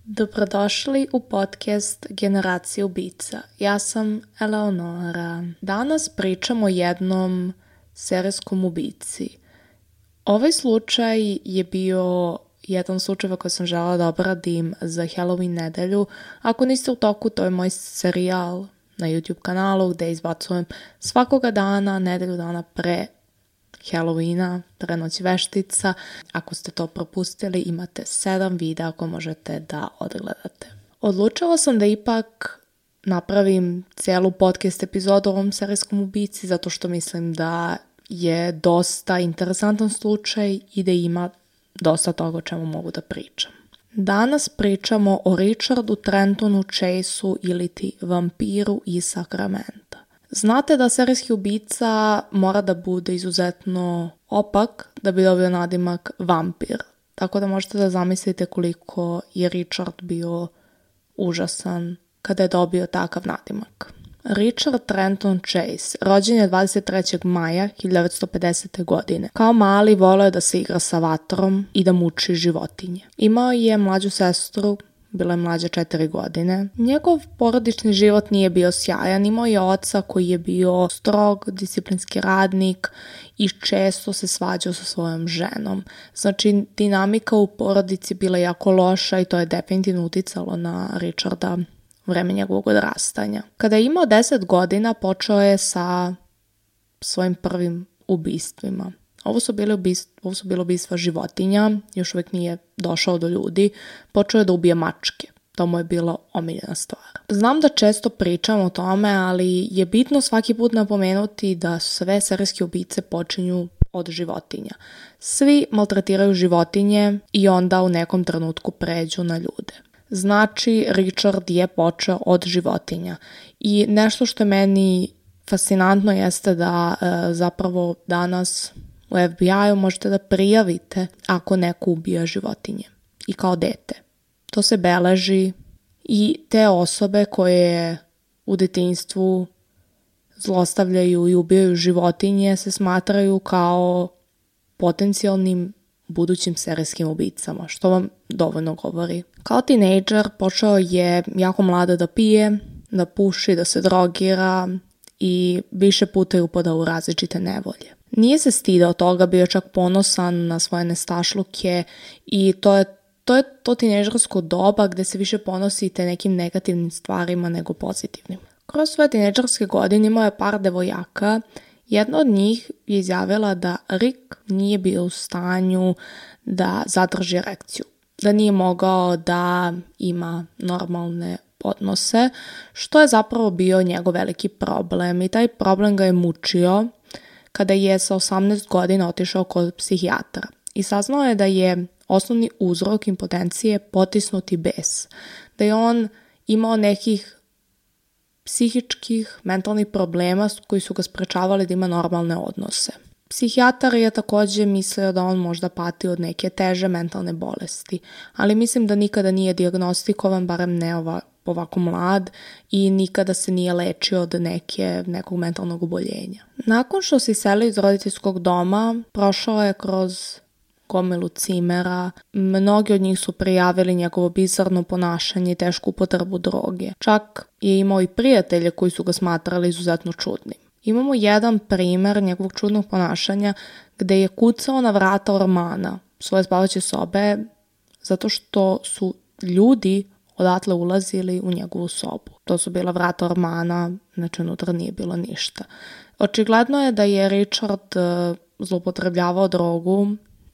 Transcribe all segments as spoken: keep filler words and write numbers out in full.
Dobrodošli u podcast Generacija ubica. Ja sam Eleonora. Danas pričamo o jednom serijskom ubici. Ovaj slučaj je bio jedan slučaj koji sam želela da obradim za Halloween nedelju. Ako niste u toku, to je moj serijal na YouTube kanalu gde izbacujem svakoga dana, nedelju dana pre Halloweena, pre Noći veštica. Ako ste to propustili, imate sedam videa ako možete da odgledate. Odlučila sam da ipak napravim cijelu podcast epizodu o ovom serijskom ubici zato što mislim da je dosta interesantan slučaj i da ima dosta toga o čemu mogu da pričam. Danas pričamo o Richardu Trentonu Chaseu ili ti vampiru iz Sakramenta. Znate da serijski ubica mora da bude izuzetno opak da bi dobio nadimak vampir. Tako da možete da zamislite koliko je Richard bio užasan kada je dobio takav nadimak. Richard Trenton Chase rođen je dvadeset trećeg maja hiljadu devetsto pedesete. godine. Kao mali voleo je da se igra sa vatrom i da muči životinje. Imao je mlađu sestru, bila je mlađa četiri godine. Njegov porodični život nije bio sjajan, imao je oca koji je bio strog, disciplinski radnik i često se svađao sa svojom ženom. Znači, dinamika u porodici bila jako loša i to je definitivno uticalo na Richarda vreme njegovog odrastanja. Kada je imao deset godina, počeo je sa svojim prvim ubistvima. Ovo su bile ubistva, ovo su bile ubistva životinja, još uvijek nije došao do ljudi, počeo je da ubije mačke. To mu je bila omiljena stvar. Znam da često pričam o tome, ali je bitno svaki put napomenuti da sve serijske ubice počinju od životinja. Svi maltretiraju životinje i onda u nekom trenutku pređu na ljude. Znači, Richard je počeo od životinja. I nešto što je meni fascinantno jeste da e, zapravo danas u F B I-u možete da prijavite ako neko ubija životinje i kao dete. To se beleži i te osobe koje u detinjstvu zlostavljaju i ubijaju životinje se smatraju kao potencijalnim budućim serijskim ubicama, što vam dovoljno govori. Kao tinejdžer počeo je jako mlado da pije, da puši, da se drogira i više puta je upadao u različite nevolje. Nije se stidao toga, bio čak ponosan na svoje nestašluke i to je to, je to tinejdžersko doba gde se više ponosite nekim negativnim stvarima nego pozitivnim. Kroz svoje tinejdžerske godine imao je par devojaka. Jedna od njih je izjavila da Rick nije bio u stanju da zadrži erekciju, da nije mogao da ima normalne odnose, što je zapravo bio njegov veliki problem i taj problem ga je mučio kada je sa osamnaest godina otišao kod psihijatra i saznao je da je osnovni uzrok impotencije potisnuti bes, da je on imao nekih psihičkih, mentalnih problema koji su ga sprečavali da ima normalne odnose. Psihijatar je također mislio da on možda pati od neke teže mentalne bolesti, ali mislim da nikada nije dijagnostikovan, barem ne ova, ovako mlad, i nikada se nije lečio od neke, nekog mentalnog oboljenja. Nakon što se iselio iz roditeljskog doma, prošao je kroz gomilu cimera, mnogi od njih su prijavili njegovo bizarno ponašanje i tešku upotrebu droge. Čak je imao i prijatelje koji su ga smatrali izuzetno čudnim. Imamo jedan primjer njegovog čudnog ponašanja gde je kucao na vrata ormana svoje spavaće sobe zato što su ljudi odatle ulazili u njegovu sobu. To su bila vrata ormana, znači unutra nije bilo ništa. Očigledno je da je Richard uh, zloupotrebljavao drogu.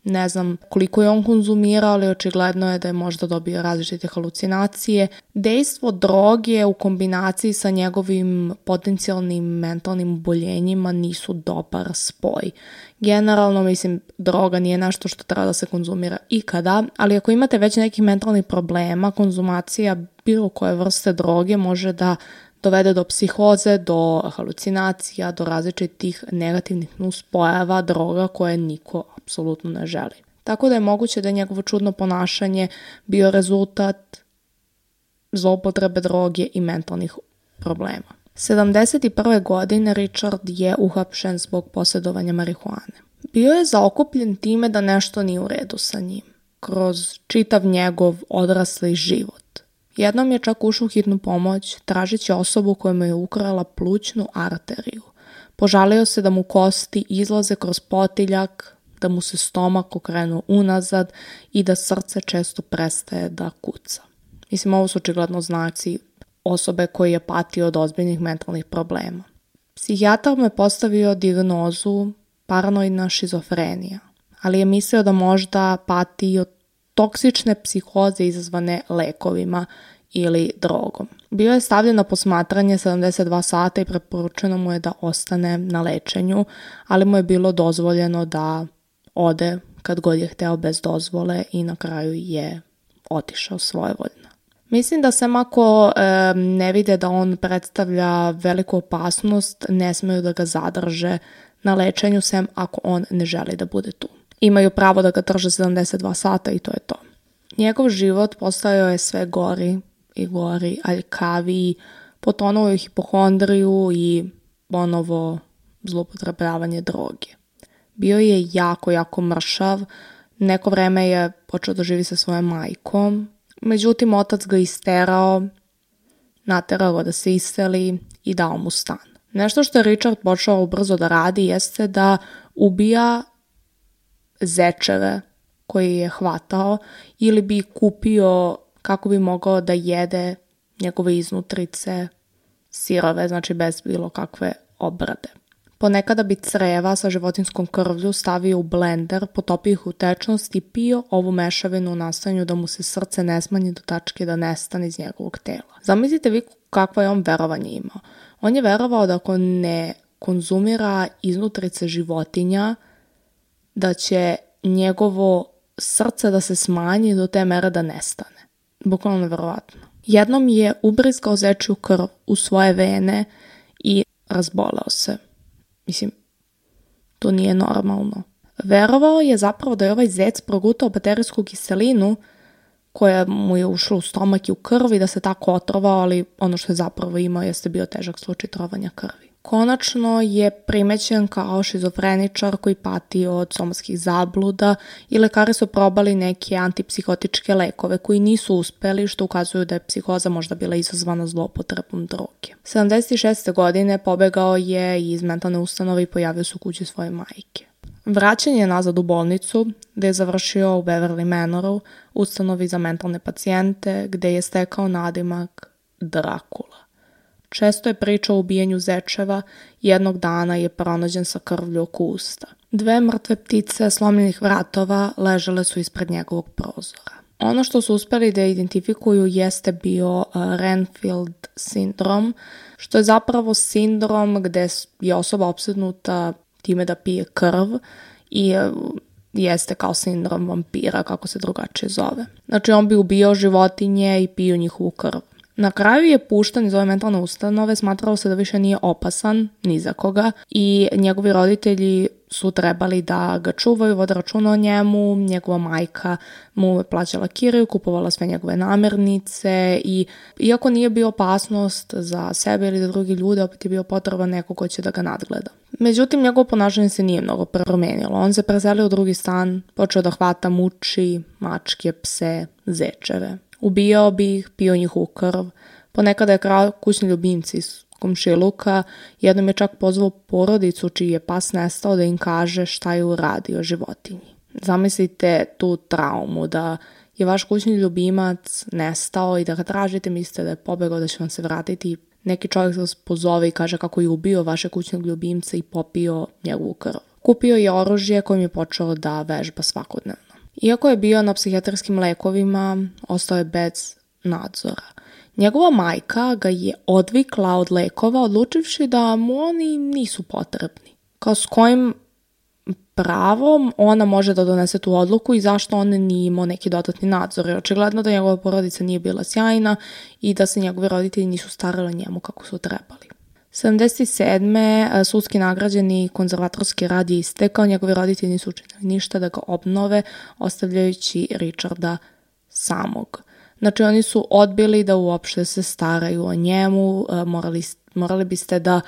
Ne znam koliko je on konzumirao, ali očigledno je da je možda dobio različite halucinacije. Dejstvo droge u kombinaciji sa njegovim potencijalnim mentalnim oboljenjima nisu dobar spoj. Generalno, mislim, droga nije nešto što treba da se konzumira ikada, ali ako imate već nekih mentalnih problema, konzumacija bilo koje vrste droge može da dovede do psihoze, do halucinacija, do različitih negativnih nuspojava droga koje niko apsolutno ne želi. Tako da je moguće da je njegovo čudno ponašanje bio rezultat zloupotrebe droge i mentalnih problema. sedamdeset prve. godine Richard je uhapšen zbog posjedovanja marihuane. Bio je zaokupljen time da nešto nije u redu sa njim. kroz čitav njegov odrasli život. Jednom je čak ušao u hitnu pomoć tražeći osobu koja mu je ukrala plućnu arteriju. Požalio se da mu kosti izlaze kroz potiljak, da mu se stomak okrenuo unazad i da srce često prestaje da kuca. Mislim, ovo su očigledno znaci osobe koji je patio od ozbiljnih mentalnih problema. Psihijatar mu je postavio dijagnozu paranoidna šizofrenija, ali je mislio da možda pati od toksične psihoze izazvane lekovima ili drogom. Bio je stavljen na posmatranje sedamdeset dva sata i preporučeno mu je da ostane na lečenju, ali mu je bilo dozvoljeno da ode kad god je hteo bez dozvole i na kraju je otišao svojevoljno. Mislim da sem ako e, ne vide da on predstavlja veliku opasnost, ne smeju da ga zadrže na lečenju, sem ako on ne želi da bude tu. Imaju pravo da ga drže sedamdeset dva sata i to je to. Njegov život postajao je sve gori i gori, aljkaviji, potonuo je u hipohondriju i ponovo zloupotrebljavanje droge. Bio je jako, jako mršav, neko vreme je počeo da živi sa svojom majkom, međutim otac ga isterao, naterao ga da se iseli i dao mu stan. Nešto što je Richard počeo ubrzo da radi jeste da ubija zečeve koji je hvatao ili bi kupio kako bi mogao da jede njegove iznutrice sirove, znači bez bilo kakve obrade. Ponekada bi creva sa životinskom krvlju stavio u blender, potopio ih u tečnost i pio ovu mešavinu u nastojanju da mu se srce ne smanji do tačke da nestane iz njegovog tela. Zamislite vi kakvo je on verovanje imao. On je verovao da ako ne konzumira iznutrice životinja, da će njegovo srce da se smanji do te mere da nestane. Bukvalno neverovatno. Jednom je ubrizgao zečju krv u svoje vene i razboleo se. Mislim, to nije normalno. Verovao je zapravo da je ovaj zec progutao baterijsku kiselinu koja mu je ušla u stomak i u krv i da se tako otrovao, ali ono što je zapravo imao jeste bio težak slučaj trovanja krvi. Konačno je primećen kao šizofreničar koji pati od somatskih zabluda i lekari su probali neke antipsihotičke lekove koji nisu uspeli, što ukazuju da je psihoza možda bila izazvana zloupotrebom droge. sedamdeset šeste godine pobegao je iz mentalne ustanove i pojavio se u kući svoje majke. Vraćen je nazad u bolnicu, gde je završio u Beverly Manoru, ustanovi za mentalne pacijente, gde je stekao nadimak Drakula. Često je pričao o ubijanju zečeva, jednog dana je pronađen sa krvlju oko usta. Dve mrtve ptice slomljenih vratova ležale su ispred njegovog prozora. Ono što su uspeli da identifikuju jeste bio Renfield sindrom, što je zapravo sindrom gde je osoba opsednuta time da pije krv i jeste kao sindrom vampira, kako se drugačije zove. Znači on bi ubijao životinje i pio njihovu krv. Na kraju je pušten iz ove mentalne ustanove, smatralo se da više nije opasan ni za koga i njegovi roditelji su trebali da ga čuvaju, vode računa o njemu, njegova majka mu je plaćala kiriju, kupovala sve njegove namirnice i iako nije bio opasnost za sebe ili za drugi ljude, opet je bio potreban neko ko će da ga nadgleda. Međutim, njegovo ponašanje se nije mnogo promenilo. On se preselio u drugi stan, počeo da hvata, muči mačke, pse, zečeve. Ubijao bi ih, pio njihovu krv. Ponekada je krao kućni ljubimci iz komšiluka. Jednom je čak pozvao porodicu čiji je pas nestao da im kaže šta je uradio životinji. Zamislite tu traumu da je vaš kućni ljubimac nestao i da ga tražite, mislite da je pobegao, da će vam se vratiti. Neki čovjek vas pozove i kaže kako je ubio vaše kućnog ljubimca i popio njegovu krv. Kupio je oružje kojim je počeo da vežba svakodnevno. Iako je bio na psihijatrijskim lekovima, ostao je bez nadzora. Njegova majka ga je odvikla od lekova, odlučivši da mu oni nisu potrebni. Kao s kojim pravom ona može da donese tu odluku i zašto on nije imao neki dodatni nadzor. Jer očigledno da njegova porodica nije bila sjajna i da se njegovi roditelji nisu starali o njemu kako su trebali. sedamdeset sedme sudski nagrađeni konzervatorski rad je istekao, njegovi roditelji nisu učinili ništa da ga obnove, ostavljajući Richarda samog. Znači oni su odbili da uopšte se staraju o njemu, morali, morali biste da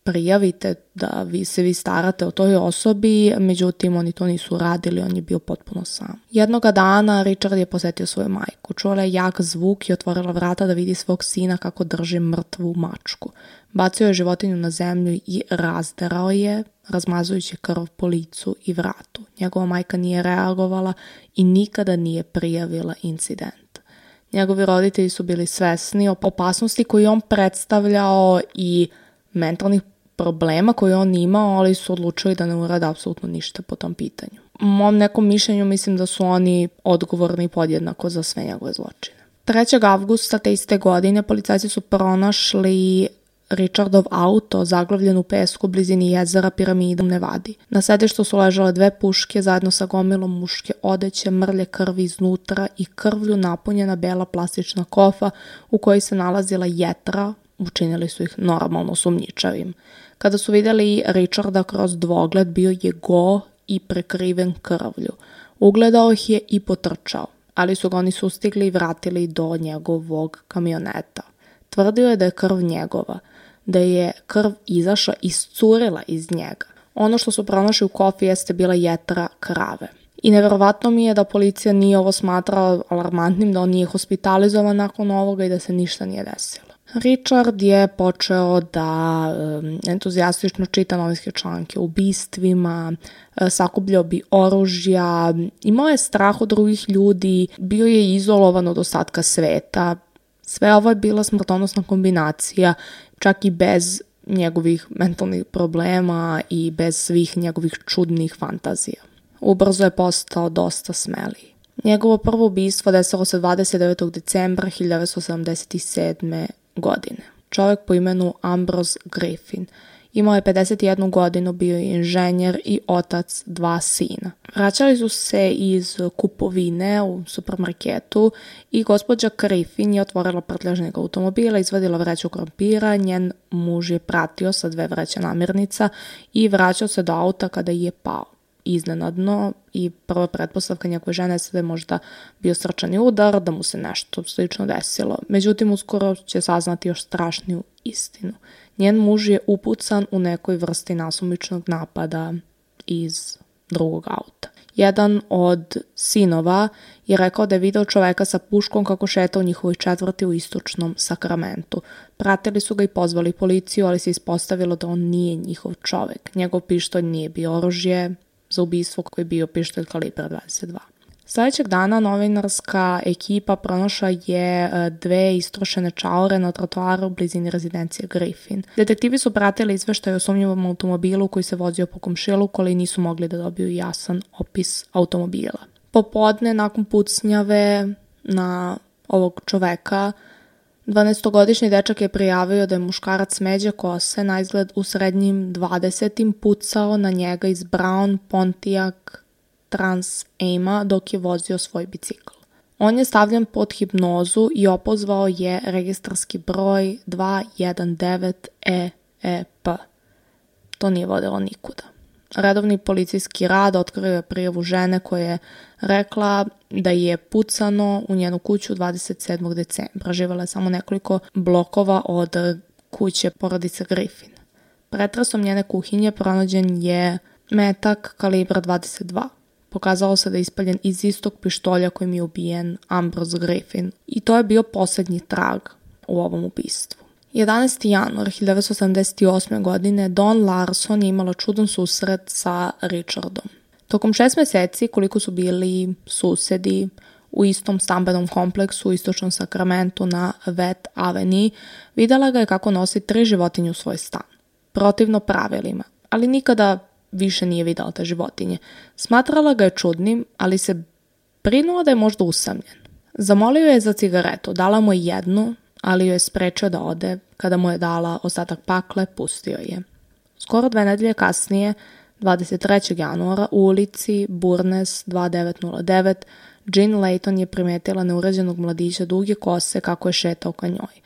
prijavite da vi se vi starate o toj osobi, međutim oni to nisu radili, on je bio potpuno sam. Jednoga dana Richard je posetio svoju majku, čula je jak zvuk i otvorila vrata da vidi svog sina kako drži mrtvu mačku. Bacio je životinju na zemlju i razderao je, razmazujući krv po licu i vratu. Njegova majka nije reagovala i nikada nije prijavila incident. Njegovi roditelji su bili svesni o opasnosti koju on predstavljao i mentalnih problema koje on imao, ali su odlučili da ne urade apsolutno ništa po tom pitanju. U mom nekom mišljenju mislim da su oni odgovorni podjednako za sve njegove zločine. trećeg avgusta te iste godine policajci su pronašli Richardov auto zaglavljen u pesku u blizini jezera Piramida u Nevadi. Na sedištu su ležale dve puške zajedno sa gomilom muške odeće, mrlje krvi iznutra i krvlju napunjena bela plastična kofa u kojoj se nalazila jetra. Učinili su ih normalno sumnjičavim. Kada su vidjeli Richarda kroz dvogled, bio je go i prekriven krvlju. Ugledao ih je i potrčao, ali su ga oni sustigli i vratili do njegovog kamioneta. Tvrdio je da je krv njegova, da je krv izašla, iscurila iz njega. Ono što su pronašli u kofi jeste bila jetra krave. I nevjerovatno mi je da policija nije ovo smatrala alarmantnim, da on nije hospitalizovan nakon ovoga i da se ništa nije desilo. Richard je počeo da um, entuzijastično čita novinske članke o ubistvima, uh, sakupljao bi oružja, imao je strah od drugih ljudi, bio je izolovan od ostatka sveta. Sve ovo je bila smrtonosna kombinacija, čak i bez njegovih mentalnih problema i bez svih njegovih čudnih fantazija. Ubrzo je postao dosta smeliji. Njegovo prvo ubistvo desilo se dvadeset devetog decembra hiljadu devetsto sedamdeset sedme. godine. Čovjek po imenu Ambrose Griffin. Imao je pedeset jednu godinu, bio je inženjer i otac dva sina. Vraćali su se iz kupovine u supermarketu i gospođa Griffin je otvorila prtljažnik automobila, izvadila vreću krompira, njen muž je pratio sa dve vreće namirnica i vraćao se do auta kada je pao. Iznenadno i prva pretpostavka njegove žene je da je možda bio srčani udar, da mu se nešto slično desilo. Međutim, uskoro će saznati još strašniju istinu. Njen muž je upucan u nekoj vrsti nasumičnog napada iz drugog auta. Jedan od sinova je rekao da je video čoveka sa puškom kako šeta u njihovoj četvrti u istočnom Sakramentu. Pratili su ga i pozvali policiju, ali se ispostavilo da on nije njihov čovek. Njegov pištolj nije bio oružje za ubistvo koji je bio pištolj kalibra dvadeset dva. Sljedećeg dana novinarska ekipa pronašla je dve istrošene čaure na trotoaru u blizini rezidencije Griffin. Detektivi su pratili izveštaj o sumnjivom automobilu koji se vozio po komšiluku, ali nisu mogli da dobiju jasan opis automobila. Popodne, nakon pucnjave na ovog čoveka, dvanaestogodišnji dečak je prijavio da je muškarac smeđe kose, na izgled u srednjim dvadesetim, pucao na njega iz Brown Pontiac Trans Ama dok je vozio svoj bicikl. On je stavljen pod hipnozu i opozvao je registarski broj dva jedan devet E E P. To nije vodilo nikuda. Redovni policijski rad otkrio je prijavu žene koja je rekla da je pucano u njenu kuću dvadeset sedmog decembra. Živjela je samo nekoliko blokova od kuće porodice Griffin. Pretresom njene kuhinje pronađen je metak kalibra dvadeset dva. Pokazalo se da je ispaljen iz istog pištolja kojim je ubijen Ambrose Griffin. I to je bio posljednji trag u ovom ubistvu. jedanaesti januar hiljadu devetsto sedamdeset osme. godine Dawn Larson je imala čudan susret sa Richardom. Tokom šest mjeseci, koliko su bili susedi u istom stambenom kompleksu u istočnom Sakramentu na Wet Avenue, vidjela ga je kako nosi tri životinje u svoj stan. Protivno pravilima, ali nikada više nije vidjela te životinje. Smatrala ga je čudnim, ali se brinula da je možda usamljen. Zamolio je za cigaretu, dala mu je jednu, ali joj je sprečio da ode. Kada mu je dala ostatak pakle, pustio je. Skoro dve nedelje kasnije, dvadeset trećeg januara, u ulici Burnes dva devet nula devet, Jean Layton je primetila neuređenog mladića duge kose kako je šetao ka njoj.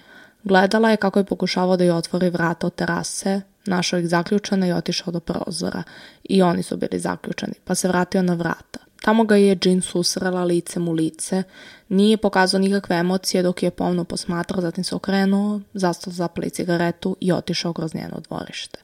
Gledala je kako je pokušavao da joj otvori vrata od terase, našao ih zaključane i otišao do prozora. I oni su bili zaključani, pa se vratio na vrata. Tamo ga je Jean susrela licem u lice, nije pokazao nikakve emocije dok je pomno posmatrao, zatim se okrenuo, zastao zapali cigaretu i otišao kroz njeno dvorište.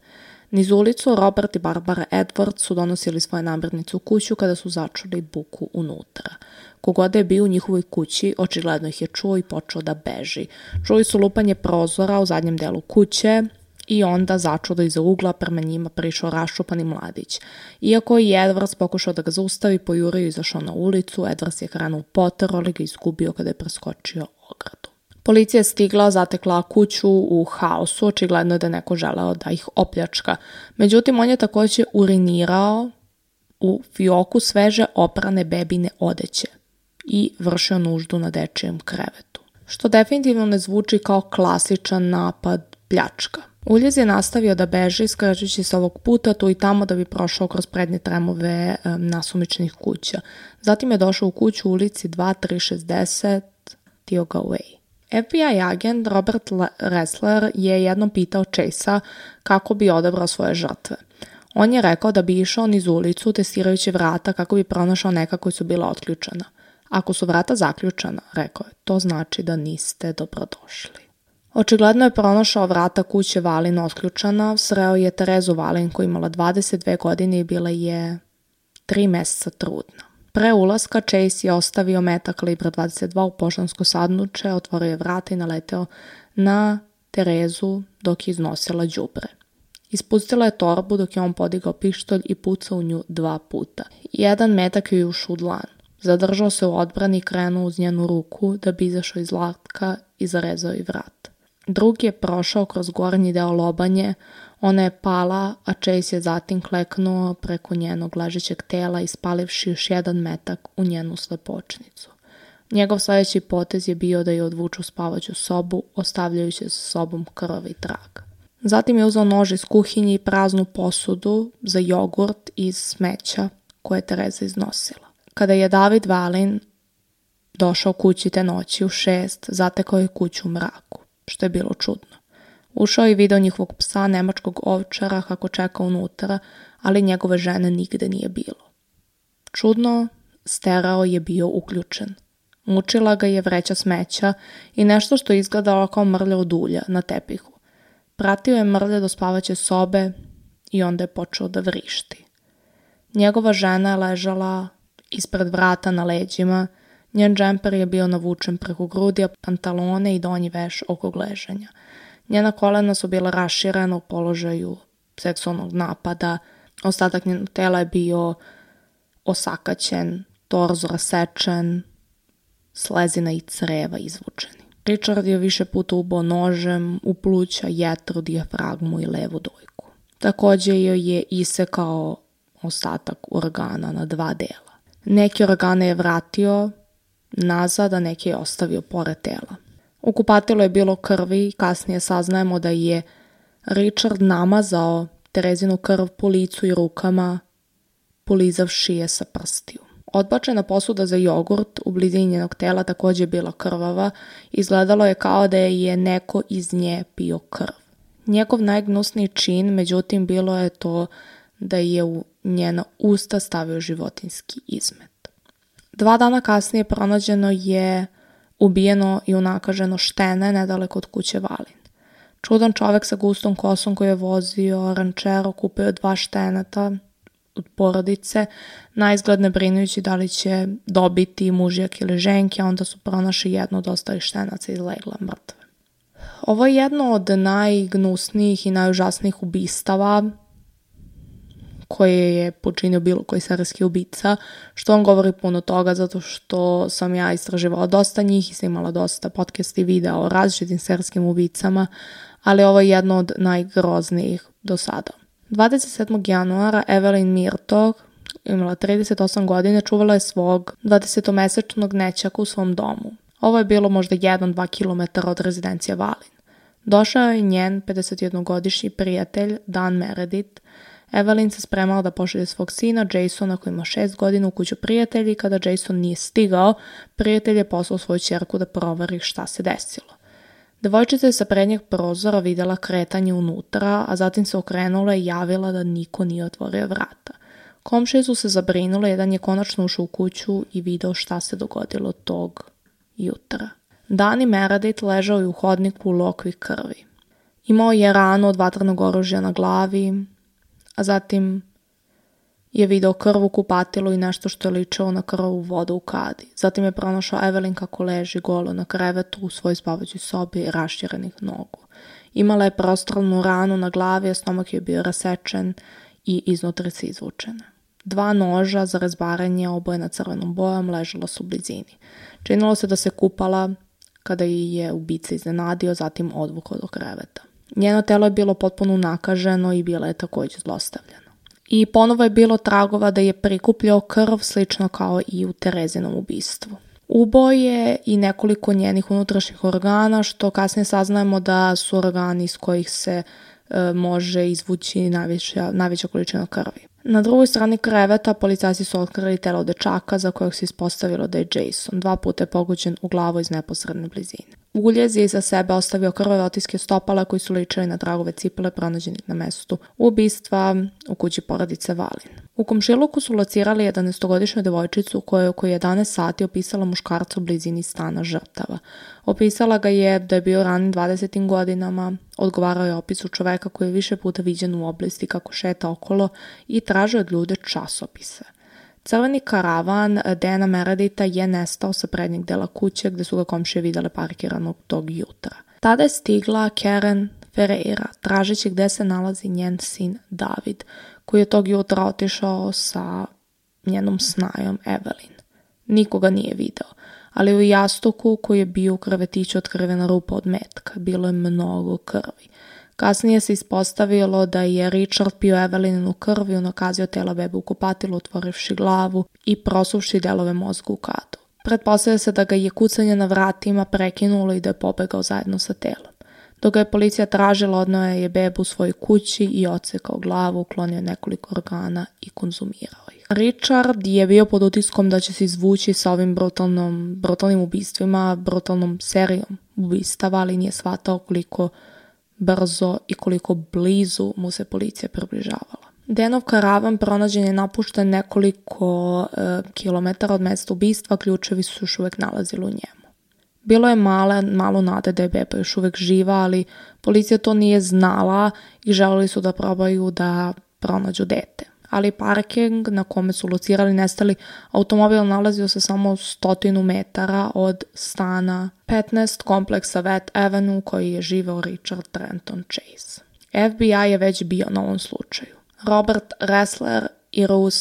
Niz ulicu Robert i Barbara Edwards su donosili svoje namirnice u kuću kada su začuli buku unutra. Kogod je bio u njihovoj kući, očigledno ih je čuo i počeo da beži. Čuli su lupanje prozora u zadnjem delu kuće i onda začudo iza ugla prema njima prišao raščupani mladić. Iako je Edwards pokušao da ga zaustavi, pojurio i izašao na ulicu, Edwards je krenuo poter, ali ga izgubio kada je preskočio ogradu. Policija je stigla, zatekla kuću u haosu, očigledno je da je neko želeo da ih opljačka. Međutim, on je također urinirao u fioku sveže oprane bebine odeće i vršio nuždu na dečijem krevetu, što definitivno ne zvuči kao klasičan napad pljačka. Uljez je nastavio da beži, skrećući se ovog puta tu i tamo da bi prošao kroz prednje tremove um, nasumičnih kuća. Zatim je došao u kuću u ulici dva tri šezdeset Tioga Way. F B I agent Robert Ressler je jednom pitao Chase-a kako bi odabrao svoje žrtve. On je rekao da bi išao niz ulicu testirajući vrata kako bi pronašao neka koji su bila otključana. Ako su vrata zaključana, rekao je, to znači da niste dobrodošli. Očigledno je pronašao vrata kuće Valin otključana, sreo je Terezu Valin koja imala dvadeset dve godine i bila je tri meseca trudna. Pre ulaska Chase je ostavio metak kalibra dvadeset dva u poštansko sanduče, otvorio je vrata i naleteo na Terezu dok je iznosila đubre. Ispustila je torbu dok je on podigao pištolj i pucao u nju dva puta. Jedan metak je ušao u dlan. Zadržao se u odbrani i krenuo uz njenu ruku da bi izašao iz latka i zarezao i vrat. Drugi je prošao kroz gornji deo lobanje, ona je pala, a Chase je zatim kleknuo preko njenog ležećeg tela ispalivši još jedan metak u njenu slepočnicu. Njegov sljedeći potez je bio da je odvuče u spavaću sobu, ostavljajući sa sobom krvavi trag. Zatim je uzeo nož iz kuhinje i praznu posudu za jogurt iz smeća koje je Tereza iznosila. Kada je David Valin došao kući te noći u šest, zatekao je kuću u mraku, što je bilo čudno. Ušao je i video njihovog psa, nemačkog ovčara, kako čeka unutra, ali njegove žene nigde nije bilo. Čudno, stereo je bio uključen. Mučila ga je vreća smeća i nešto što je izgledalo kao mrlja od ulja na tepihu. Pratio je mrlje do spavaće sobe i onda je počeo da vrišti. Njegova žena je ležala ispred vrata na leđima, njen džemper je bio navučen preko grudi, a pantalone i donji veš oko gležanja. Njena kolena su bila raširena u položaju seksualnog napada, ostatak njenog tela je bio osakaćen, torzo rasečen, slezina i creva izvučeni. Richard je više puta ubao nožem u pluća, jetru, dijafragmu i levu dojku. Također joj je isekao ostatak organa na dva dela. Neki organe je vratio nazad, a neki je ostavio pored tela. U kupatilu je bilo krvi i kasnije saznajemo da je Richard namazao Terezinu krv po licu i rukama, polizavši je sa prstiju. Odbačena posuda za jogurt u blizini njenog tela također je bila krvava, izgledalo je kao da je neko iz nje pio krv. Njegov najgnusniji čin, međutim, bilo je to da je u njena usta stavio životinjski izmet. Dva dana kasnije pronađeno je ubijeno i unakaženo štene nedaleko od kuće Valin. Čudan čovjek sa gustom kosom koji je vozio rančero kupio je dva šteneta od porodice, naizgled ne brinujući da li će dobiti mužjak ili ženke, a onda su pronašli jedno od ostalih štenaca i izlegla mrtve. Ovo je jedno od najgnusnijih i najužasnijih ubistava koje je počinio bilo koji serijski ubica, što on govori puno toga zato što sam ja istraživala dosta njih i sam imala dosta podcast i videa o različitim serijskim ubicama, ali ovo je jedno od najgroznijih do sada. dvadeset sedmog januara Evelyn Murtaugh, imala trideset osam godina, čuvala je svog dvadesetomesečnog nećaka u svom domu. Ovo je bilo možda jedan do dva kilometra od rezidencije Valin. Došao je njen pedesetjednogodišnji prijatelj Dan Meredith. Evelyn se spremala da pošalje svog sina Jasona koji ima šest godina u kuću prijatelji. Kada Jason nije stigao, prijatelj je poslao svoju ćerku da proveri šta se desilo. Devojčica je sa prednjeg prozora vidjela kretanje unutra, a zatim se okrenula i javila da niko nije otvorio vrata. Komšije su se zabrinule, jedan je konačno ušao u kuću i video šta se dogodilo tog jutra. Dan i Meredith ležao je u hodniku u lokvi krvi. Imao je ranu od vatrenog oružja na glavi, a zatim je video krv u kupatilu i nešto što je ličilo na krvavu vodu u kadi. Zatim je pronašao Evelyn kako leži golo na krevetu u svojoj spavaćoj sobi rašćerenih nogu. Imala je prostranu ranu na glavi, a stomak je bio rasečen i iznutrice izvučene. Dva noža za razbaranje obojena crvenom bojom ležala su u blizini. Činilo se da se kupala kada je ubica iznenadio, zatim odvukao do kreveta. Njeno telo je bilo potpuno unakaženo i bila je također zlostavljena. I ponovo je bilo tragova da je prikupljao krv slično kao i u Terezinom ubistvu. Uboj je i nekoliko njenih unutrašnjih organa, što kasnije saznajemo da su organi iz kojih se e, može izvući najveća, najveća količina krvi. Na drugoj strani kreveta policajci su otkrili telo dečaka za kojeg se ispostavilo da je Jason, dva puta je pogođen u glavu iz neposredne blizine. Uljez je iza sebe ostavio krvave otiske stopala koji su ličili na tragove cipele pronađenih na mestu ubistva u kući porodice Valin. U komšiluku su locirali jedanaestogodišnju devojčicu koja je oko jedanaest sati opisala muškarca u blizini stana žrtava. Opisala ga je da je bio ranim dvadesetim godinama, odgovarao je opisu čoveka koji je više puta viđen u oblasti kako šeta okolo i tražio od ljude časopise. Crveni karavan Dana Mereditha je nestao sa prednjeg dela kuće gde su ga komšije videle parkiranog tog jutra. Tada je stigla Karen Ferreira, tražeći gde se nalazi njen sin David, koji je tog jutra otišao sa njenom snajom Evelyn. Nikoga nije video, ali u jastuku koji je bio u krevetiću otkrivena rupa od metka, bilo je mnogo krvi. Kasnije se ispostavilo da je Richard pio Evelyninu krv i unakazio tela bebe u kupatilu, otvorivši glavu i prosuvši delove mozga u kadu. Pretpostavlja se da ga je kucanje na vratima prekinulo i da je pobegao zajedno sa telom. Dok ga je policija tražila, odneo je bebu u svojoj kući i odsekao glavu, uklonio nekoliko organa i konzumirao ih. Richard je bio pod utiskom da će se izvući sa ovim brutalnom, brutalnim ubistvima, brutalnom serijom ubistava, ali nije shvatao koliko brzo i koliko blizu mu se policija približavala. Danov karavan pronađen je napušten nekoliko e, kilometara od mesta ubistva, ključevi su još uvijek nalazili u njemu. Bilo je male, malo nade da je beba još uvijek živa, ali policija to nije znala i želeli su da probaju da pronađu dete. Ali parking na kome su locirali nestali automobil nalazio se samo stotinu metara od stana petnaest kompleksa Wet Avenue koji je živeo Richard Trenton Chase. F B I je već bio na ovom slučaju. Robert Ressler i Ruth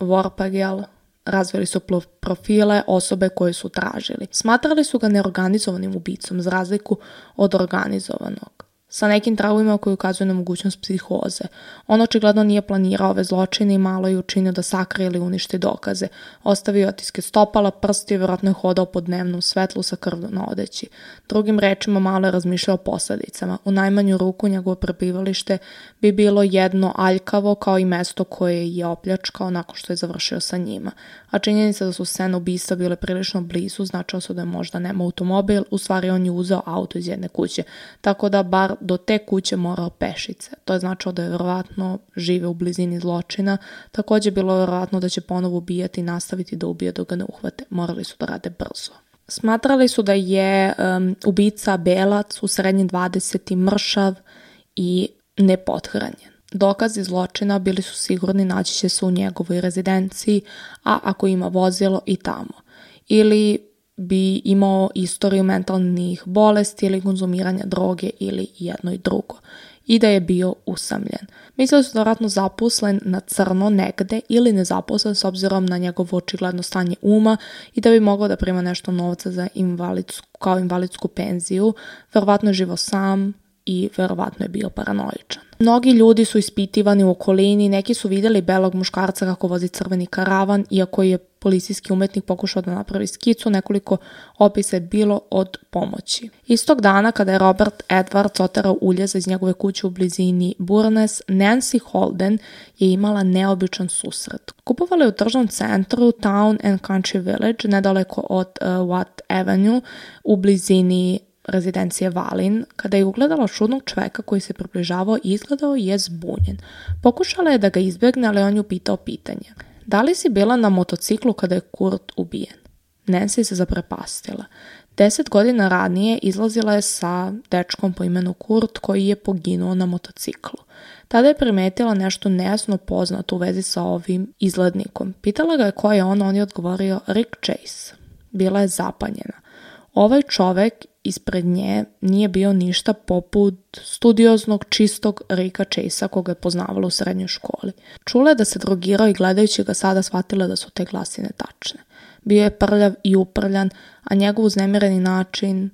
Vorpagel razvili su profile osobe koje su tražili. Smatrali su ga neorganizovanim ubicom za razliku od organizovanog, sa nekim tragovima koji ukazuju na mogućnost psihoze. On očigledno nije planirao ove zločine i malo je učinio da sakrije ili uništi dokaze. Ostavio otiske stopala, prsti i vjerojatno je hodao po dnevnom svetlu sa krvlju na odeći. Drugim rečima malo je razmišljao o posljedicama. U najmanju ruku njegovo prebivalište bi bilo jedno aljkavo kao i mesto koje je opljačkao nakon što je završio sa njima. A činjenica da su scene ubistva bile prilično blizu značilo se da je možda nema automobil, u stvari on je uzeo auto iz jedne kuće, tako da bar do te kuće morao pešice. To je značilo da je vjerovatno žive u blizini zločina. Također bilo je vjerovatno da će ponovo ubijati i nastaviti da ubije dok ga ne uhvate. Morali su da rade brzo. Smatrali su da je um, ubica belac u srednjim dvadesetim mršav i nepothranjen. Dokazi zločina bili su sigurni naći će se u njegovoj rezidenciji, a ako ima vozilo i tamo. Ili bi imao istoriju mentalnih bolesti ili konzumiranja droge ili jedno i drugo. I da je bio usamljen. Mislili su da je vjerojatno zaposlen na crno negde ili nezaposlen s obzirom na njegovo očigledno stanje uma i da bi mogao da prima nešto novca za invalidsku, kao invalidsku penziju. Vjerovatno je živo sam i vjerovatno je bio paranoičan. Mnogi ljudi su ispitivani u okolini, neki su vidjeli belog muškarca kako vozi crveni karavan, iako je policijski umetnik pokušao da napravi skicu, nekoliko opisa je bilo od pomoći. Istog dana kada je Robert Edwards oterao uljeza iz njegove kuće u blizini Burnes, Nancy Holden je imala neobičan susret. Kupovala je u tržnom centru Town and Country Village, nedaleko od uh, Watt Avenue, u blizini rezidencije Valin. Kada je ugledala čudnog čoveka koji se približavao i izgledao je zbunjen. Pokušala je da ga izbjegne, ali on ju pitao pitanje. Da li si bila na motociklu kada je Kurt ubijen? Nancy se zaprepastila. Deset godina ranije izlazila je sa dečkom po imenu Kurt koji je poginuo na motociklu. Tada je primetila nešto nejasno poznato u vezi sa ovim izglednikom. Pitala ga je ko je on, on je odgovorio Rick Chase. Bila je zapanjena. Ovaj čovek ispred nje nije bio ništa poput studioznog, čistog Ricka Chasea koga je poznavala u srednjoj školi. Čula je da se drogirao i gledajući ga sada shvatila da su te glasine tačne. Bio je prljav i uprljan, a njegov uznemireni način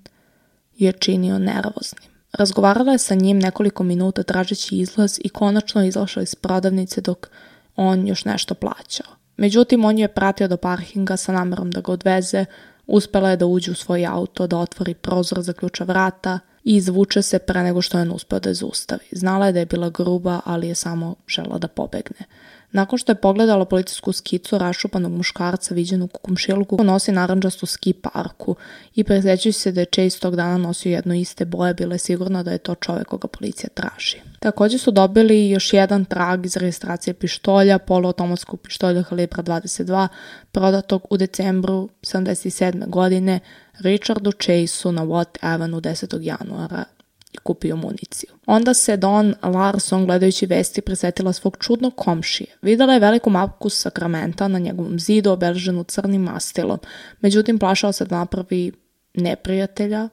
je činio nervoznim. Razgovarala je sa njim nekoliko minuta tražeći izlaz i konačno je izašla iz prodavnice dok on još nešto plaćao. Međutim, on ju je pratio do parkinga sa namerom da ga odveze. Uspela je da uđe u svoj auto, da otvori prozor, zaključa vrata i izvuče se pre nego što je on uspeo da je zaustavi. Znala je da je bila gruba, ali je samo žela da pobegne. Nakon što je pogledala policijsku skicu rašupanog muškarca viđenog u komšiluku, nosi narandžastu ski parku i presjećajući se da je Chase tog dana nosio jedno iste boje, bila je sigurna da je to čovek koga policija traži. Također su dobili još jedan trag iz registracije pištolja, poluautomatskog pištolja kalibra dvadeset dva, prodatog u decembru sedamdeset sedme. godine Richardu Chaseu na Watt Avenue desetog januara i kupio municiju. Onda se Dawn Larson, gledajući vesti, prisetila svog čudnog komšije. Videla je veliku mapu Sakramenta na njegovom zidu obeleženu crnim mastilom, međutim plašala se da napravi neprijatelja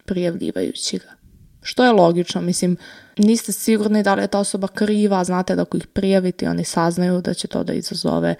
prijavljivajući ga. Što je logično, mislim, niste sigurni da li je ta osoba kriva, znate da ako ih prijavite, oni saznaju da će to da izazove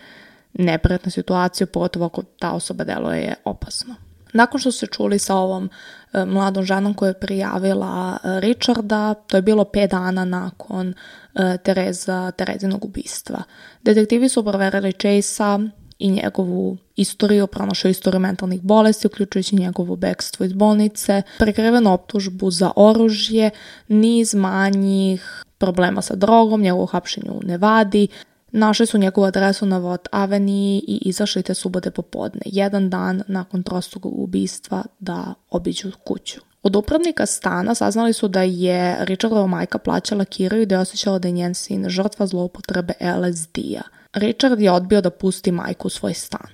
neprijatnu situaciju, pogotovo ako ta osoba deluje opasno. Nakon što su se čuli sa ovom e, mladom ženom koja je prijavila e, Richarda, to je bilo pet dana nakon e, Tereza, Terezinog ubistva. Detektivi su proverili Chasea i njegovu istoriju, pronašao istoriju mentalnih bolesti, uključujući njegovo bekstvo iz bolnice, prikrivenu optužbu za oružje, niz manjih problema sa drogom, njegovo hapšenje u Nevadi. Našli su njegovu adresu na Watt Avenue i izašli te subote popodne, jedan dan nakon trostrukog ubistva, da obiđu kuću. Od upravnika stana saznali su da je Richardova majka plaćala kiriju i da je osjećala da je njen sin žrtva zloupotrebe L S D-a. Richard je odbio da pusti majku u svoj stan.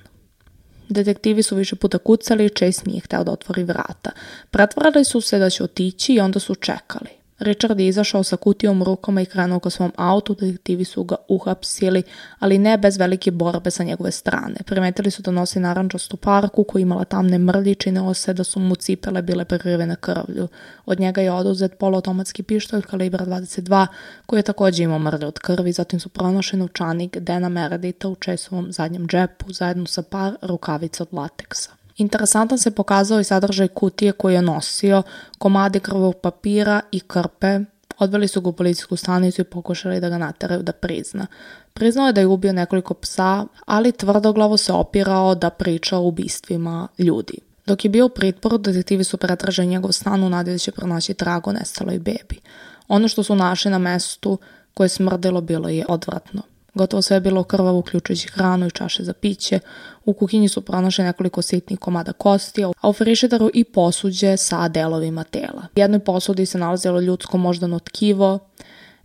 Detektivi su više puta kucali i Chase nije hteo da otvori vrata. Pretvarali su se da će otići i onda su čekali. Richard je izašao sa kutijom u rukama i krenuo ka svom autu, detektivi su ga uhapsili, ali ne bez velike borbe sa njegove strane. Primetili su da nosi narandžastu parku koja imala tamne mrlje i činilo se da su mu cipele bile prekrivene krvlju. Od njega je oduzet poluautomatski pištolj kalibra dvadeset dva koji je također imao mrlje od krvi, zatim su pronašli novčanik Dana Mereditha u Chaseovom zadnjem džepu zajedno sa par rukavica od lateksa. Interesantan se pokazao i sadržaj kutije koju je nosio, komadi krvog papira i krpe. Odveli su ga u policijsku stanicu i pokušali da ga nateraju da prizna. Priznao je da je ubio nekoliko psa, ali tvrdoglavo se opirao da priča o ubistvima ljudi. Dok je bio u pritvoru, detektivi su pretražili njegov stan u nadi da će pronaći trag o nestaloj bebi. Ono što su našli na mestu koje je smrdilo bilo je odvratno. Gotovo sve je bilo krvavo, uključujući hranu i čaše za piće. U kuhinji su pronašli nekoliko sitnih komada kosti, a u frižideru i posuđe sa delovima tela. U jednoj posudi se nalazilo ljudsko moždano tkivo,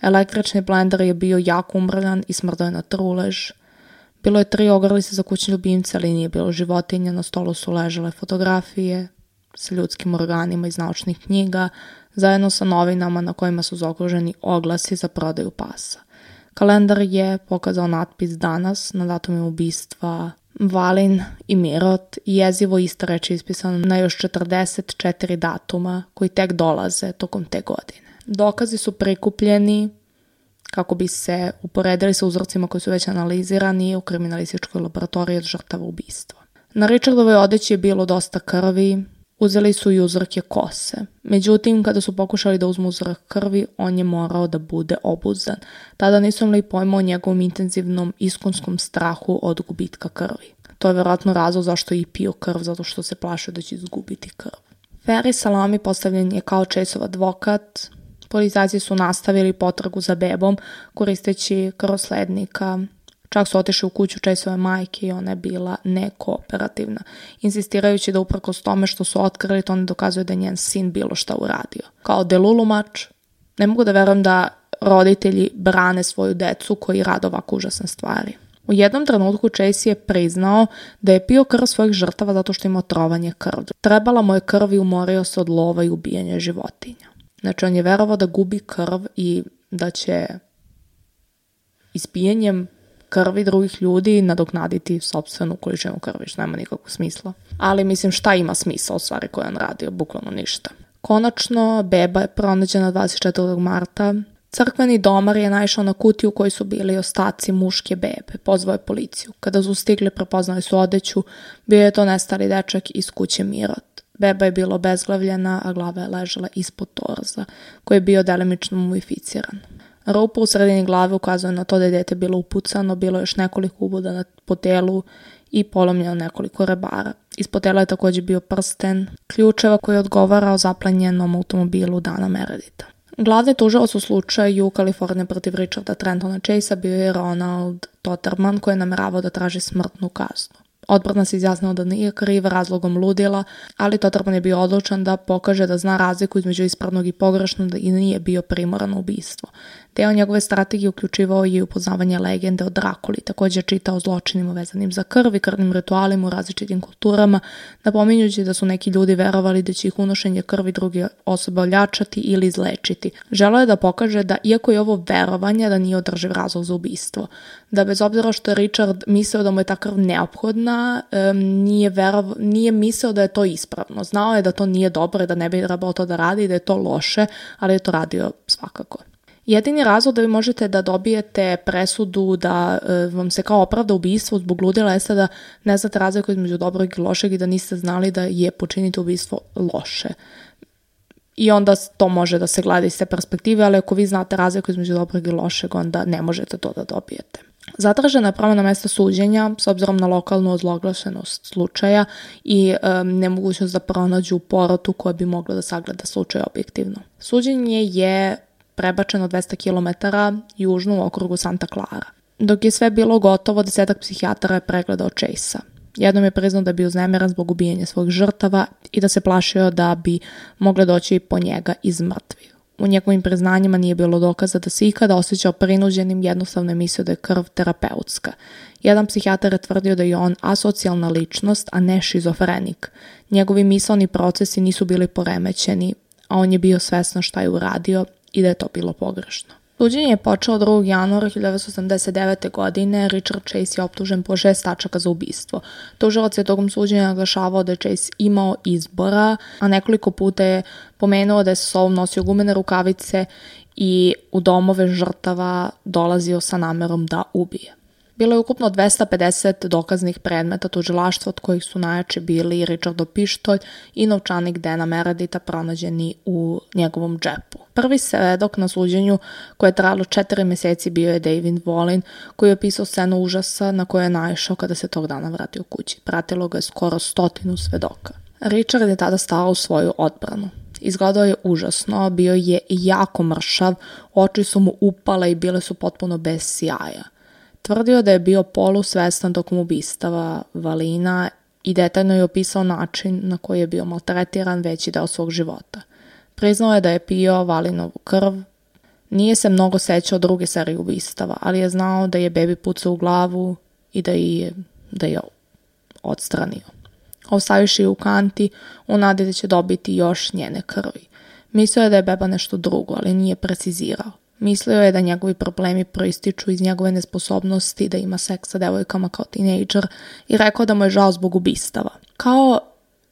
električni blender je bio jako umrljan i smrdao je na trulež. Bilo je tri ogrlice za kućne ljubimce, ali nije bilo životinja, na stolu su ležale fotografije sa ljudskim organima iz naučnih knjiga, zajedno sa novinama na kojima su zaokruženi oglasi za prodaju pasa. Kalendar je pokazao natpis danas na datumima ubistva Valin i Mirot i jezivo ista reč ispisana na još četrdeset četiri datuma koji tek dolaze tokom te godine. Dokazi su prikupljeni kako bi se uporedili sa uzorcima koji su već analizirani u kriminalističkoj laboratoriji od žrtava ubistva. Na Richardovoj odeći je bilo dosta krvi. Uzeli su i uzorke kose. Međutim, kada su pokušali da uzmu uzorak krvi, on je morao da bude obuzdan. Tada nisu imali pojma o njegovom intenzivnom iskonskom strahu od gubitka krvi. To je vjerojatno razlog zašto je i pio krv, zato što se plašio da će izgubiti krv. Ferry Salami postavljen je kao Chaseov advokat. Policajci su nastavili potragu za bebom koristeći krvoslednika. Čak su otišli u kuću Chaseove majke i ona je bila nekooperativna, insistirajući da uprkos tome što su otkrili, to ne dokazuje da je njen sin bilo šta uradio. Kao delulumač, ne mogu da verujem da roditelji brane svoju decu koji rade ovako užasne stvari. U jednom trenutku Chase je priznao da je pio krv svojih žrtava zato što ima otrovanje krvi. Trebala mu je krv i umorio se od lova i ubijanja životinja. Znači on je verovao da gubi krv i da će ispijenjem krvi drugih ljudi nadoknaditi sopstvenu količinu krvi, što nema nikakvog smisla. Ali mislim šta ima smisla u stvari koje on radio, bukvalno ništa. Konačno, beba je pronađena dvadeset četvrtog marta. Crkveni domar je naišao na kutiju u kojoj su bili ostaci muške bebe. Pozvao je policiju. Kada su stigli, prepoznali su odeću. Bio je to nestali dečak iz kuće Mirot. Beba je bila obezglavljena, a glava je ležala ispod torza, koji je bio delimično mumificiran. Rupa u sredini glave ukazuje na to da je dete bilo upucano, bilo je još nekoliko uboda po telu i polomljeno nekoliko rebara. Ispod tela je također bio prsten ključeva koji je odgovarao zaplenjenom automobilu Dana Mereditha. Glavni tužilac u slučaju Kalifornije protiv Richarda Trentona Chasea bio je Ronald Totterman, koji je nameravao da traži smrtnu kaznu. Odbrana se izjasnila da nije kriv razlogom ludila, ali Totterman je bio odlučan da pokaže da zna razliku između ispravnog i pogrešnog i nije bio primoran na ubistvo. Deo njegove strategije uključivao je i upoznavanje legende o Drakuli, također čitao o zločinima vezanim za krv i krvnim ritualima u različitim kulturama, napominjući da su neki ljudi verovali da će ih unošenje krvi druge osobe oljačati ili izlečiti. Želeo je da pokaže da, iako je ovo verovanje, da nije održiv razlog za ubistvo. Da bez obzira što je Richard mislio da mu je ta krv neophodna, um, nije, verov, nije mislio da je to ispravno. Znao je da to nije dobro i da ne bi trebalo to da radi i da je to loše, ali je to radio svakako. Jedini razlog da vi možete da dobijete presudu da e, vam se kao opravda ubistvo zbog ludila jeste da ne znate razliku između dobrog i lošeg i da niste znali da je počiniti ubistvo loše. I onda to može da se gleda iz te perspektive, ali ako vi znate razliku između dobrog i lošeg, onda ne možete to da dobijete. Zatražena je promjena mesta suđenja s obzirom na lokalnu ozloglašenost slučaja i e, nemogućnost da pronađu porotu koja bi mogla da sagleda slučaj objektivno. Suđenje je prebačeno dvesta kilometara južno u okrugu Santa Clara. Dok je sve bilo gotovo, desetak psihijatara je pregledao Chasea. Jednom je priznao da je bio uznemiran zbog ubijanja svojih žrtava i da se plašio da bi mogle doći po njega iz mrtvih. U njegovim priznanjima nije bilo dokaza da se ikada osjećao prinuđenim, jednostavno je mislio da je krv terapeutska. Jedan psihijatar je tvrdio da je on asocijalna ličnost, a ne šizofrenik. Njegovi misaoni procesi nisu bili poremećeni, a on je bio svestan šta je uradio i da je to bilo pogrešno. Suđenje je počelo drugog januara hiljadu devetsto osamdeset devete. godine. Richard Chase je optužen po šest tačaka za ubistvo. Tužilac je tokom suđenja naglašavao da je Chase imao izbora, a nekoliko puta je pomenuo da je sa sobom nosio gumene rukavice i u domove žrtava dolazio sa namerom da ubije. Bilo je ukupno dvesta pedeset dokaznih predmeta tužilaštva, od kojih su najjači bili Richardov pištolj i novčanik Dana Mereditha pronađeni u njegovom džepu. Prvi svedok na suđenju, koje je trajalo četiri mjeseci, bio je David Volin, koji je opisao scenu užasa na koju je naišao kada se tog dana vratio kući. Pratilo ga je skoro stotinu svedoka. Richard je tada stao u svoju odbranu. Izgledao je užasno, bio je jako mršav, oči su mu upale i bile su potpuno bez sjaja. Tvrdio da je bio polusvestan tokom ubistava Valina i detaljno je opisao način na koji je bio maltretiran veći deo svog života. Priznao je da je pio Valinovu krv. Nije se mnogo sećao druge serije ubistava, ali je znao da je bebi pucao u glavu i da je, da je odstranio. Ostavivši u kanti, u nadi da će dobiti još njene krvi. Mislio je da je beba nešto drugo, ali nije precizirao. Mislio je da njegovi problemi proističu iz njegove nesposobnosti da ima seks sa devojkama kao tinejdžer i rekao da mu je žao zbog ubistava. Kao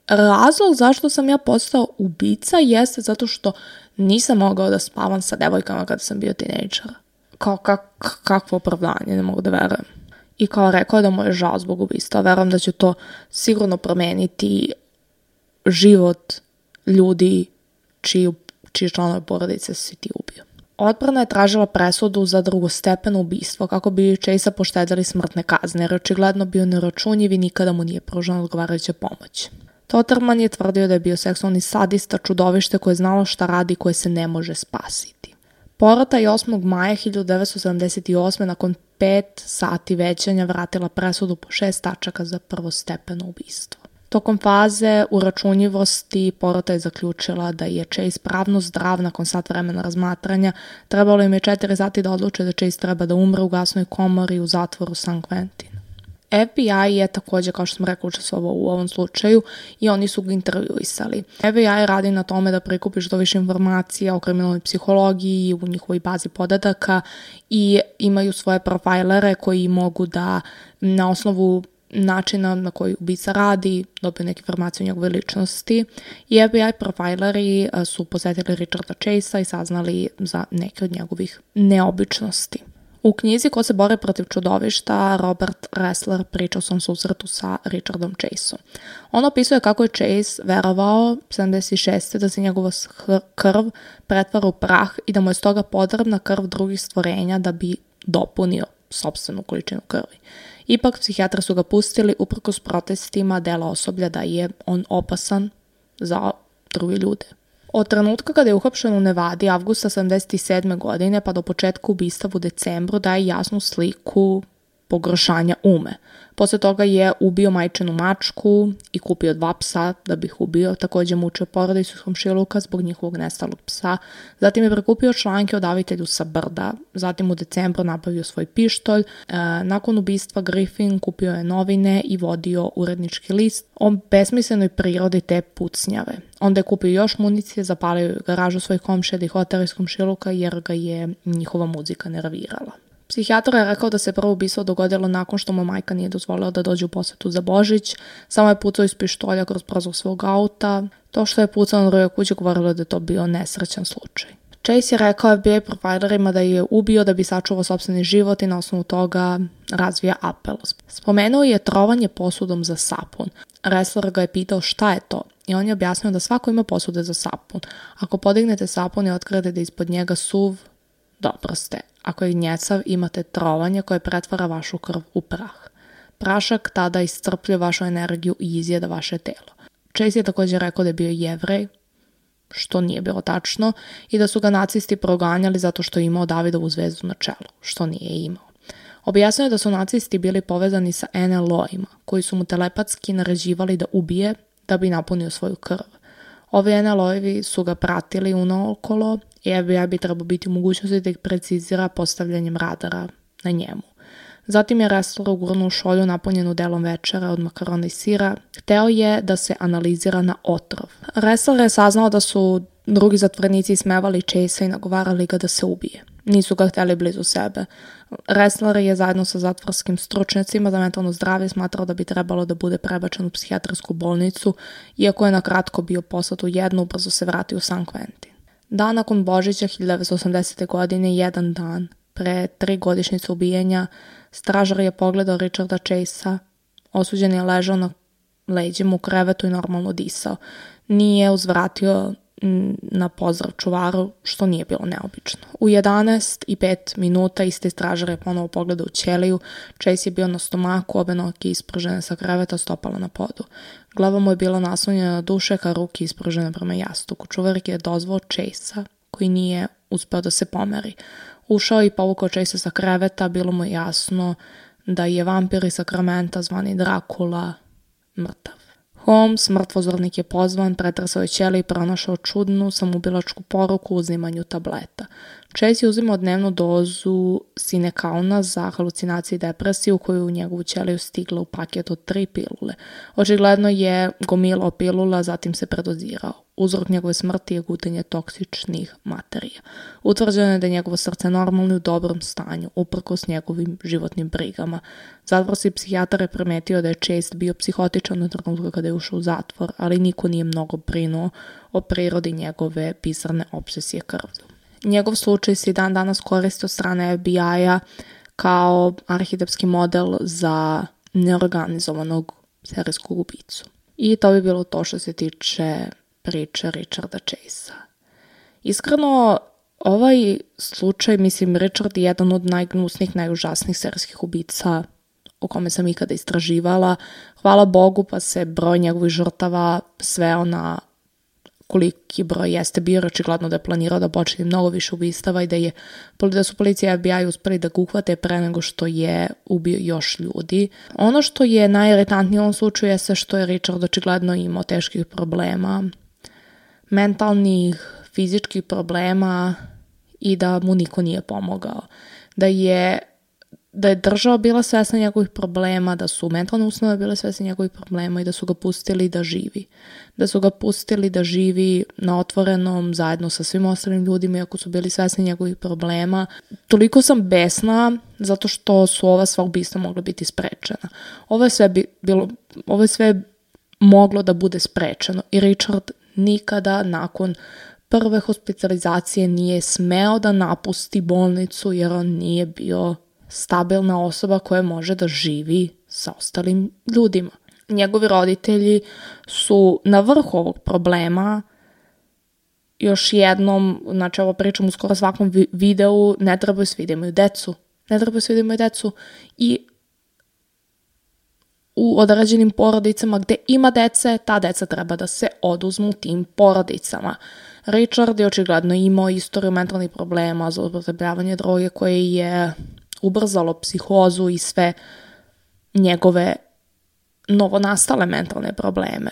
razlog zašto sam ja postao ubica jeste zato što nisam mogao da spavam sa devojkama kada sam bio tinejdžer. Kao kak, kakvo opravdanje, ne mogu da verujem. I kao rekao da mu je žao zbog ubistava. Verujem da će to sigurno promeniti život ljudi čiji, čiji članove porodice si ti ubio. Odbrana je tražila presudu za drugostepeno ubistvo kako bi Chasea poštedili smrtne kazne, jer očigledno bio neračunljiv i nikada mu nije pružena odgovarajuća pomoć. Totterman je tvrdio da je bio seksualni sadista, čudovište koje je znalo šta radi i koje se ne može spasiti. Porota je osmog maja hiljadu devetsto sedamdeset osme. nakon pet sati većanja vratila presudu po šest tačaka za prvostepeno ubistvo. Tokom faze uračunljivosti porota je zaključila da je Chase pravno zdrav nakon sat vremena razmatranja. Trebalo im je četiri sati da odluče da Chase treba da umre u gasnoj komori u zatvoru San Quentin. F B I je također, kao što sam rekla, učestvovao u ovom slučaju i oni su ga intervjuisali. F B I radi na tome da prikupi što više informacija o kriminalnoj psihologiji u njihovoj bazi podataka i imaju svoje profajlere koji mogu da na osnovu načina na koji ubica radi dobiju neke informacije o njegove ličnosti. I F B I profajleri su posetili Richarda Chasea i saznali za neke od njegovih neobičnosti. U knjizi Ko se bore protiv čudovišta, Robert Ressler priča o svom susretu sa Richardom Chaseom. On opisuje kako je Chase verovao sedamdeset šeste da se njegova krv pretvara u prah i da mu je stoga potrebna krv drugih stvorenja da bi dopunio sopstvenu količinu krvi. Ipak, psihijatri su ga pustili uprkos protestima dela osoblja da je on opasan za druge ljude. Od trenutka kada je uhapšen u Nevadi avgusta sedamdeset sedme godine pa do početka ubistva u decembru daje jasnu sliku pogoršanja ume. Posle toga je ubio majčinu mačku i kupio dva psa da bi ih ubio. Također mučio porodicu iz komšiluka zbog njihovog nestalog psa. Zatim je prekupio članke o davitelju sa brda. Zatim u decembru nabavio svoj pištolj. E, nakon ubistva Griffin kupio je novine i vodio urednički list o besmislenoj prirodi te pucnjave. Onda je kupio još municije, zapalio je garažu svojih komšija da ih otera iz komšiluka jer ga je njihova muzika nervirala. Psihijatar je rekao da se prvo ubistvo dogodilo nakon što mu majka nije dozvolila da dođe u posetu za Božić. Samo je pucao iz pištolja kroz prozor svog auta. To što je pucao na drugoj kući govorilo da je to bio nesrećan slučaj. Chase je rekao F B I profilerima da je ubio da bi sačuvao sopstveni život i na osnovu toga razvija apel. Spomenuo je trovanje posudom za sapun. Ressler ga je pitao šta je to i on je objasnio da svako ima posude za sapun. Ako podignete sapun i otkrijete da ispod njega suv, dobro ste. Ako je gnjecav, imate trovanje koje pretvara vašu krv u prah. Prašak tada iscrpljuje vašu energiju i izjeda vaše telo. Chase je također rekao da je bio Jevrej, što nije bilo tačno, i da su ga nacisti proganjali zato što je imao Davidovu zvezdu na čelu, što nije imao. Objasnio je da su nacisti bili povezani sa en el o-ima, koji su mu telepatski naređivali da ubije da bi napunio svoju krv. Ovi en el o-ivi su ga pratili unaokolo i F B I bi trebao biti u mogućnosti da ih precizira postavljanjem radara na njemu. Zatim je Ressler ugurnuo šolju napunjenu delom večera od makarona i sira. Hteo je da se analizira na otrov. Ressler je saznao da su drugi zatvorenici ismevali Chasea i nagovarali ga da se ubije. Nisu ga hteli blizu sebe. Ressler je zajedno sa zatvorskim stručnjacima za mentalno zdravlje smatrao da bi trebalo da bude prebačen u psihijatrijsku bolnicu, iako je na kratko bio poslat u jednu, brzo se vratio u San Quentin. Dan nakon Božića hiljadu devetsto osamdesete. godine, jedan dan pre tri godišnjice ubijenja, stražar je pogledao Richarda Chasea. Osuđen je ležao na leđima u krevetu i normalno disao. Nije uzvratio na pozdrav čuvaru, što nije bilo neobično. U jedanaest i pet minuta isti stražar je ponovo pogledao u ćeliju. Chase je bio na stomaku, obe noge ispružene sa kreveta, stopala na podu. Glava mu je bila naslonjena na dušek, a ruke ispružene prema jastuku. Čuvar je dozvao Chasea, koji nije uspeo da se pomeri. Ušao i povukao Chasea sa kreveta, bilo mu jasno da je vampir iz Sakramenta zvani Drakula mrtav. Holmes, mrtvozornik, je pozvan, pretresao je ćeliju i pronašao čudnu samoubilačku poruku u uzimanju tableta. Chase je uzimao dnevnu dozu sinekauna za halucinacije i depresiju koju u njegovu ćeliju stigla u paketu od tri pilule. Očigledno je gomilao pilula, zatim se predozirao. Uzrok njegove smrti je gutanje toksičnih materija. Utvrđeno je da je njegovo srce normalno i u dobrom stanju, uprkos njegovim životnim brigama. Zatvorski psihijatar je primetio da je Chase bio psihotičan na trenutku kada je ušao u zatvor, ali niko nije mnogo brinuo o prirodi njegove bizarne obsesije krvlju. Njegov slučaj se i dan danas koristi od strane F B I-a kao arhetipski model za neorganizovanog serijskog ubicu. I to bi bilo to što se tiče priče Richarda Chasea. Iskreno, ovaj slučaj, mislim, Richard je jedan od najgnusnijih, najužasnijih serijskih ubica o kome sam ikada istraživala. Hvala Bogu pa se broj njegovih žrtava sveo na koliki broj jeste bio, očigledno da je planirao da počne mnogo više ubistava i da, je, da su policija i F B I uspeli da ga uhvate pre nego što je ubio još ljudi. Ono što je najiritantnije u ovom slučaju je sve što je Richard očigledno imao teških problema, mentalnih, fizičkih problema i da mu niko nije pomogao. Da je da je država bila svesna njegovih problema, da su mentalne ustanove bile svesne njegovih problema i da su ga pustili da živi. Da su ga pustili da živi na otvorenom zajedno sa svim ostalim ljudima, iako su bili svesni njegovih problema. Toliko sam besna zato što su ova sva ubistva mogla biti sprečena. Ovo je sve, bi, bilo, ovo je sve moglo da bude sprečeno i Richard nikada nakon prve hospitalizacije nije smeo da napusti bolnicu jer on nije bio stabilna osoba koja može da živi sa ostalim ljudima. Njegovi roditelji su na vrhu ovog problema. Još jednom, znači ovo pričam u skoro svakom videu, ne trebaju svi da imaju decu. Ne trebaju svi da imaju decu i u određenim porodicama gde ima dece, ta deca treba da se oduzmu tim porodicama. Richard je očigledno imao istoriju mentalnih problema, zloupotrebljavanje droge koje je ubrzalo psihozu i sve njegove novonastale mentalne probleme.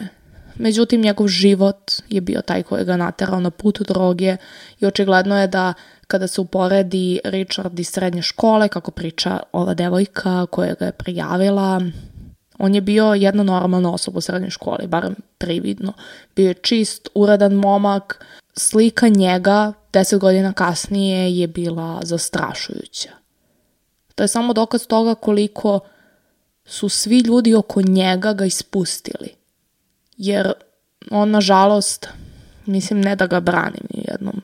Međutim, njegov život je bio taj koji ga naterao na put droge i očigledno je da kada se uporedi Richard iz srednje škole, kako priča ova devojka koja ga je prijavila, on je bio jedna normalna osoba u srednjoj školi, barem prividno. Bio je čist, uredan momak. Slika njega deset godina kasnije je bila zastrašujuća. To je samo dokaz toga koliko su svi ljudi oko njega ga ispustili. Jer on, nažalost, mislim ne da ga branim ni u jednom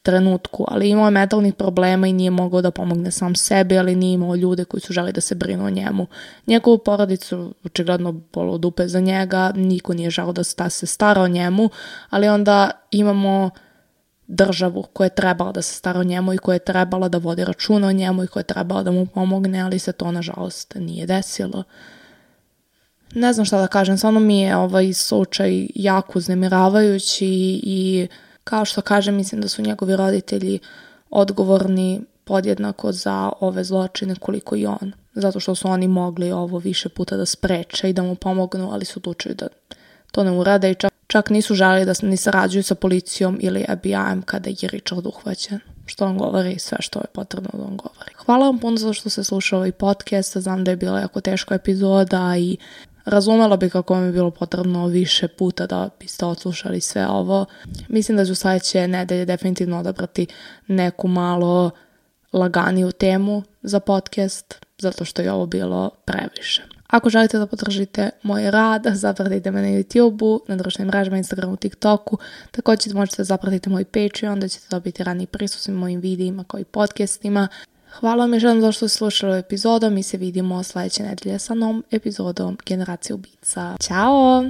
trenutku, ali imao je mentalnih problema i nije mogao da pomogne sam sebi, ali nije imao ljude koji su želi da se brinu o njemu. Njegovu porodicu očigledno bolo dupe za njega, niko nije želeo da se stara o njemu, ali onda imamo državu koja je trebala da se stara o njemu i koja je trebala da vodi računa o njemu i koja je trebala da mu pomogne, ali se to nažalost nije desilo. Ne znam šta da kažem, stvarno mi je ovaj slučaj jako uznemiravajući i kao što kažem, mislim da su njegovi roditelji odgovorni podjednako za ove zločine koliko i on. Zato što su oni mogli ovo više puta da spreče i da mu pomognu, ali su odlučili da to ne urade i čak, čak nisu želeli da ni sarađuju sa policijom ili F B I-em kada je Richard uhvaćen. Što on govori, sve što je potrebno da on govori. Hvala vam puno za što ste slušali ovaj podcast. Znam da je bila jako teška epizoda i razumela bi kako vam je bilo potrebno više puta da biste odslušali sve ovo. Mislim da ću sledeće nedelje definitivno odabrati neku malo laganiju temu za podcast, zato što je ovo bilo previše. Ako želite da podržite moj rad, zapratite me na YouTube-u, na društvenim mrežama, Instagramu, TikToku. Također možete zapratiti moj Patreon, da ćete dobiti rani pristup svim mojim videima kao i podcastima. Hvala vam još jednom za što ste slušali epizodu. Mi se vidimo sledeće nedelje sa novom epizodom Generacije ubica. Ćao!